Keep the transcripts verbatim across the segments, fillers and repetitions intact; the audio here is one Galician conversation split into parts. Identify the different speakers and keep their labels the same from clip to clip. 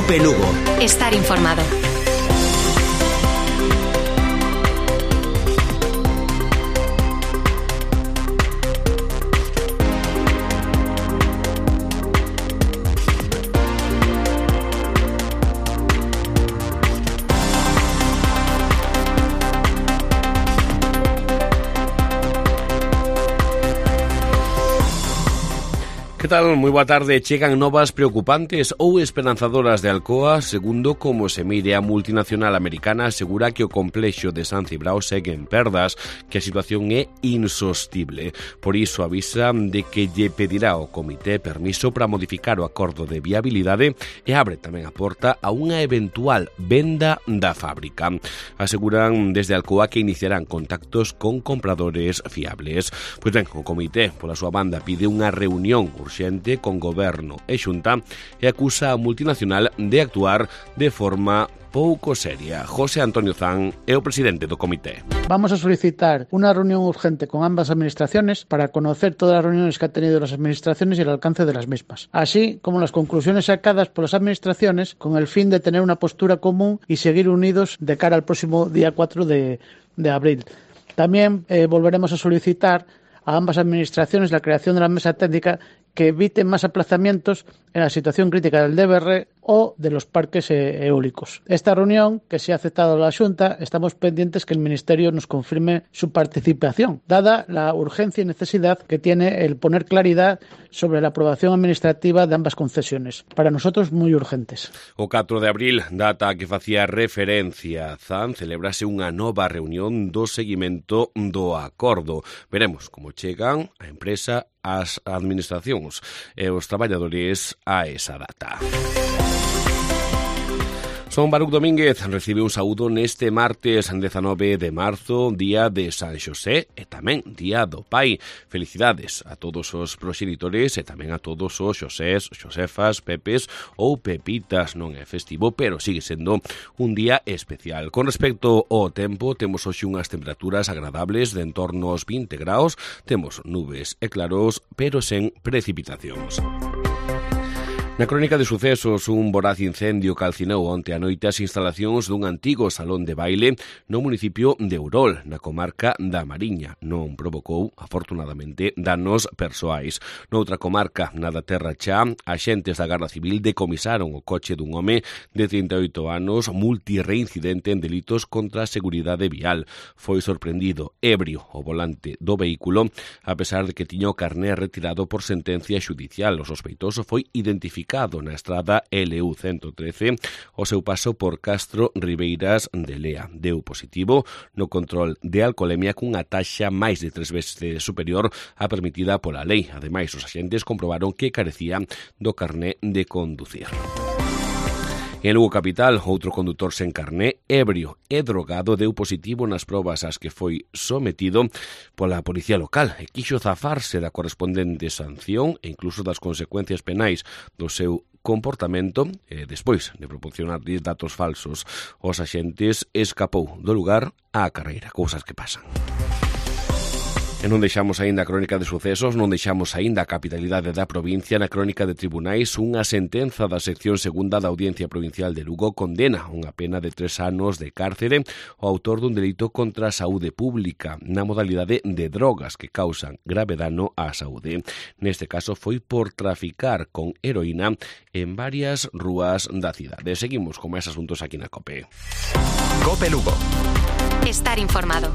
Speaker 1: Cope Lugo.
Speaker 2: Estar informado.
Speaker 3: Que tal? Moi boa tarde. Chegan novas preocupantes ou esperanzadoras de Alcoa, segundo como se mire a multinacional americana asegura que o complexo de San Cibrao segue en perdas, que a situación é insostible. Por iso avisa de que lle pedirá ao comité permiso para modificar o acordo de viabilidade e abre tamén a porta a unha eventual venda da fábrica. Aseguran desde Alcoa que iniciarán contactos con compradores fiables. Pois ben, o comité, pola súa banda, pide unha reunión urxente con goberno e xunta e acusa a multinacional de actuar de forma pouco seria. José Antonio Zan é o presidente do comité.
Speaker 4: Vamos a solicitar una reunión urgente con ambas administraciones para conocer todas las reuniones que han tenido las administraciones y el alcance de las mismas, así como las conclusiones sacadas por las administraciones con el fin de tener una postura común y seguir unidos de cara al próximo día cuatro de, de abril. También eh, volveremos a solicitar a ambas administraciones la creación de la mesa técnica que evite más aplazamientos en la situación crítica del D B R o de los parques eólicos. Esta reunión, que se ha aceptado la Xunta, estamos pendientes que el Ministerio nos confirme su participación, dada la urgencia y necesidad que tiene el poner claridad sobre la aprobación administrativa de ambas concesiones. Para nosotros, muy urgentes.
Speaker 3: O catro de abril, data a que facía referencia Zan, celebrase unha nova reunión do seguimento do acordo. Veremos como chegan a empresa, as administracións e os traballadores a esa data. Son Baruc Domínguez recibe un saúdo neste martes dezanove de marzo, día de San Xosé e tamén día do Pai. Felicidades a todos os proxenitores e tamén a todos os Xosés, Xosefas, Pepes ou Pepitas. Non é festivo, pero sigue sendo un día especial. Con respecto ao tempo, temos hoxe unhas temperaturas agradables de en torno aos vinte graus, temos nubes e claros, pero sen precipitacións. Na crónica de sucesos, un voraz incendio calcinou onte a noite as instalacións dun antigo salón de baile no municipio de Urol, na comarca da Mariña. Non provocou, afortunadamente, danos persoais. Noutra comarca, na da Terra Chá, axentes da Garda Civil decomisaron o coche dun home de trinta e oito anos multirreincidente en delitos contra a seguridade vial. Foi sorprendido ebrio o volante do vehículo, a pesar de que tiña o carné retirado por sentencia xudicial. O sospeitoso foi identificado na estrada L U ciento trece o seu paso por Castro Ribeiras de Lea. Deu positivo no control de alcolemia cunha taxa máis de tres veces superior á permitida pola lei. Ademais, os axentes comprobaron que carecía do carné de conducir. En Lugo Capital, outro condutor sen carné, ebrio e drogado, deu positivo nas probas ás que foi sometido pola policía local e quixo zafarse da correspondente sanción e incluso das consecuencias penais do seu comportamento e despois de proporcionar datos falsos aos axentes escapou do lugar á carreira, cousas que pasan. E non deixamos aínda a crónica de sucesos, non deixamos aínda a capitalidade da provincia. Na crónica de tribunais, unha sentenza da sección segunda da Audiencia Provincial de Lugo condena unha pena de tres anos de cárcere ao autor dun delito contra a saúde pública na modalidade de drogas que causan grave dano á saúde. Neste caso foi por traficar con heroína en varias rúas da cidade. Seguimos con máis asuntos aquí na COPE.
Speaker 1: Cope Lugo.
Speaker 2: Estar informado.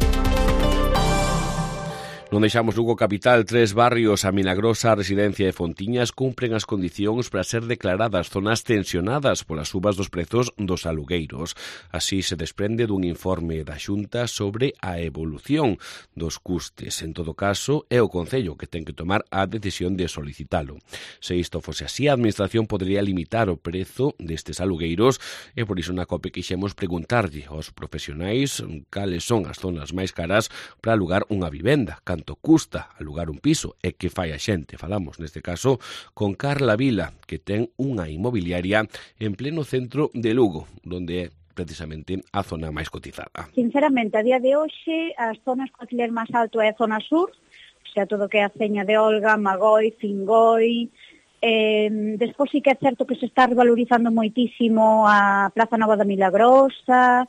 Speaker 3: Non deixamos Lugo Capital. Tres barrios, a Milagrosa, a Residencia e Fontiñas, cumpren as condicións para ser declaradas zonas tensionadas polas subas dos prezos dos alugueiros. Así se desprende dun informe da Xunta sobre a evolución dos custes. En todo caso, é o Concello que ten que tomar a decisión de solicitalo. Se isto fose así, a Administración podería limitar o prezo destes alugueiros e por iso na COPE quixemos preguntarlle aos profesionais cales son as zonas máis caras para alugar unha vivenda, canto custa alugar un piso e que fai a xente. Falamos neste caso con Carla Vila, que ten unha inmobiliaria en pleno centro de Lugo, onde é precisamente a zona máis cotizada.
Speaker 5: Sinceramente, a día de hoxe, as zonas co alquiler máis alto é a zona sur, o sea, todo que é a Ceña de Olga, Magoi, Fingoi, Eh, despois sí que é certo que se está revalorizando moitísimo a Plaza Nova da Milagrosa,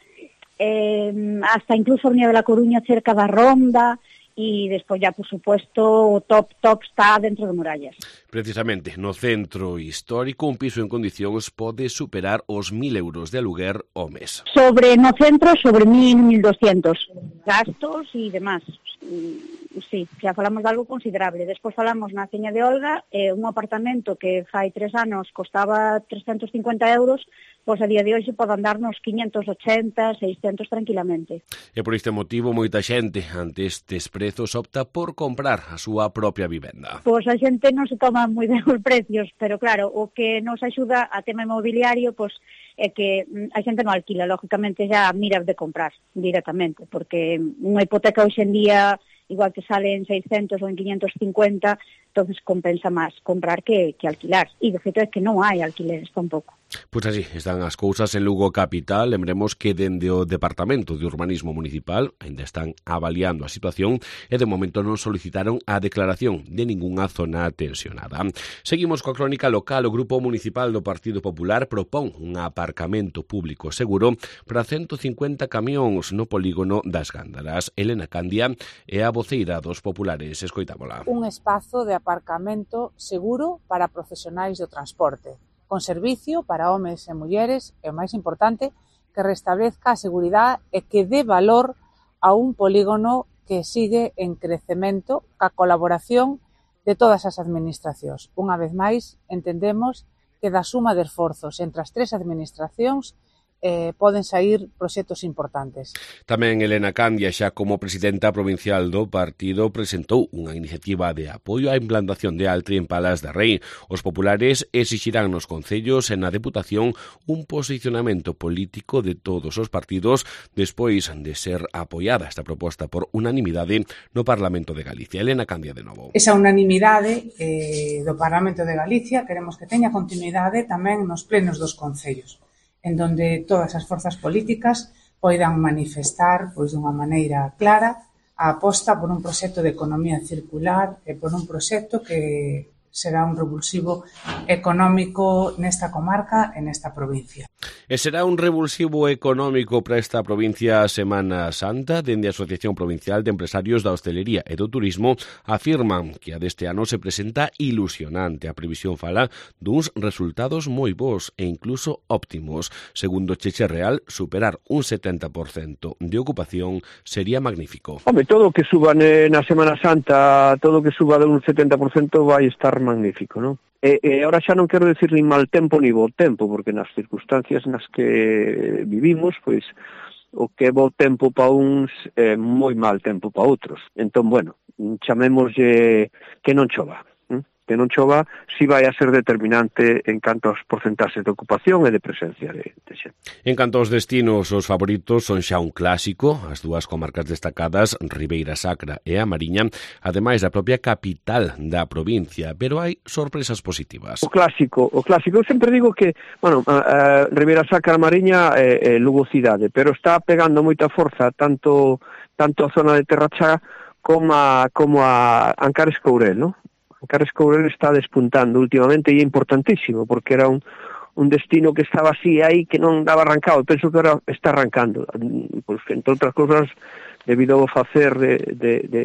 Speaker 5: eh, hasta incluso a Avenida da Coruña cerca da Ronda, e despois ya, por supuesto, o top top está dentro de murallas.
Speaker 3: Precisamente, no centro histórico, un piso en condicións pode superar os mil euros de aluguer ao mes.
Speaker 5: Sobre no centro, sobre mil, mil doscientos gastos e demás. Sí, xa falamos de algo considerable. Despois falamos na Ceña de Olga, eh, un apartamento que fai tres anos costaba trescentos cincuenta euros, pois a día de hoxe pode andar nos quinhentos ochenta, seiscentos tranquilamente.
Speaker 3: E por este motivo, moita xente, ante estes prezos, opta por comprar a súa propia vivenda.
Speaker 5: Pois a xente non se toma moi ben os precios, pero claro, o que nos axuda a tema inmobiliario, pois é que a xente non alquila, lógicamente xa mira de comprar directamente, porque unha hipoteca hoxe en día igual que sale en seiscentos ou en quinhentos cincuenta, entonces compensa máis comprar que, que alquilar. E de feito é que non hai alquileres tampouco.
Speaker 3: Pois así están as cousas en Lugo capital. Lembremos que dende o Departamento de Urbanismo Municipal ainda están avaliando a situación e de momento non solicitaron a declaración de ningunha zona tensionada. Seguimos coa crónica local. O Grupo Municipal do Partido Popular propón un aparcamento público seguro para ciento cincuenta camións no polígono das Gándaras. Elena Candia é a voceira dos populares. Escoitámola.
Speaker 6: Un espazo de aparcamento seguro para profesionais do transporte, con servicio para homes e mulleres e, o máis importante, que restablezca a seguridade e que dé valor a un polígono que sigue en crecemento ca colaboración de todas as administracións. Unha vez máis, entendemos que da suma de esforzos entre as tres administracións Eh, poden sair proxectos importantes.
Speaker 3: Tamén Elena Candia, xa como presidenta provincial do partido, presentou unha iniciativa de apoio á implantación de Altri en Palas de Rei. Os populares exixirán nos concellos e na Deputación un posicionamento político de todos os partidos despois de ser apoiada esta proposta por unanimidade no Parlamento de Galicia. Elena Candia de novo.
Speaker 7: Esa unanimidade eh, do Parlamento de Galicia queremos que teña continuidade tamén nos plenos dos concellos, en donde todas as forzas políticas poidan manifestar pois dunha maneira clara a aposta por un proxecto de economía circular e por un proxecto que será un revulsivo económico nesta comarca e nesta provincia.
Speaker 3: E será un revulsivo económico para esta provincia a Semana Santa. Dende a Asociación Provincial de Empresarios da Hostelería e do Turismo afirman que a deste ano se presenta ilusionante. A previsión fala duns resultados moi bons e incluso óptimos. Segundo Cheche Real, superar un setenta por cento de ocupación sería magnífico.
Speaker 8: Home, todo o que suba na Semana Santa, todo o que suba de un setenta por cento vai estar magnífico, non? E, e ahora xa non quero decir nin mal tempo ni bo tempo, porque nas circunstancias nas que vivimos, pois o que é bo tempo pa uns é moi mal tempo pa outros. Entón, bueno, chamémoslle que non chova. Que non chova, si vai a ser determinante en canto aos porcentaxes de ocupación e de presencia de, de xente.
Speaker 3: En canto aos destinos, os favoritos son xa un clásico, as dúas comarcas destacadas, Ribeira Sacra e a Mariña, ademais da propia capital da provincia, pero hai sorpresas positivas.
Speaker 8: O clásico, o clásico, eu sempre digo que, bueno, a, a Ribeira Sacra e a Mariña é, é Lugo cidade, pero está pegando moita forza tanto tanto a zona de Terrachá como a, como a Ancares Courel, non? Ancares Courel está despuntando últimamente e é importantísimo, porque era un, un destino que estaba así aí, que non daba arrancado, penso que ahora está arrancando, pois, entre outras cousas, debido ao facer de, de, de,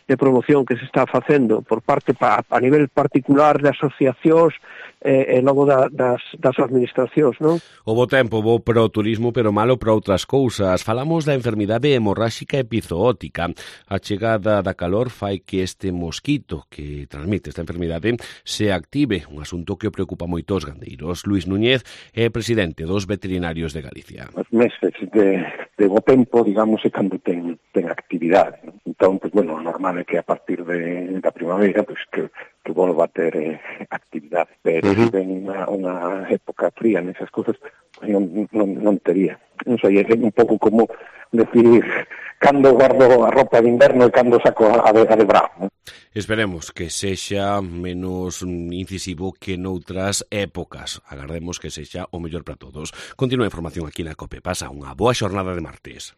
Speaker 8: de promoción que se está facendo por parte pa, a nivel particular de asociacións e, e logo da, das, das administracións, non?
Speaker 3: O bo tempo, bo para o turismo, pero malo para outras cousas. Falamos da enfermidade hemorráxica epizootica. A chegada da calor fai que este mosquito que transmite esta enfermidade se active, un asunto que preocupa moito os gandeiros. Luís Núñez é presidente dos veterinarios de Galicia.
Speaker 9: Os meses de, de bo tempo, digamos, é cando ten, ten actividade. Entón, pues, bueno, normal é que a partir de, da primavera, pues, que que volva a ter eh, actividade, pero uh-huh. se ven unha, unha época fría nesas cousas, pues non, non, non tería. Non sei, é un pouco como decir cando guardo a roupa de inverno e cando saco a de, a de bravo.
Speaker 3: Esperemos que sexa menos incisivo que noutras épocas. Agardemos que sexa o mellor para todos. Continúa a información aquí na COPE. Pasa unha boa xornada de martes.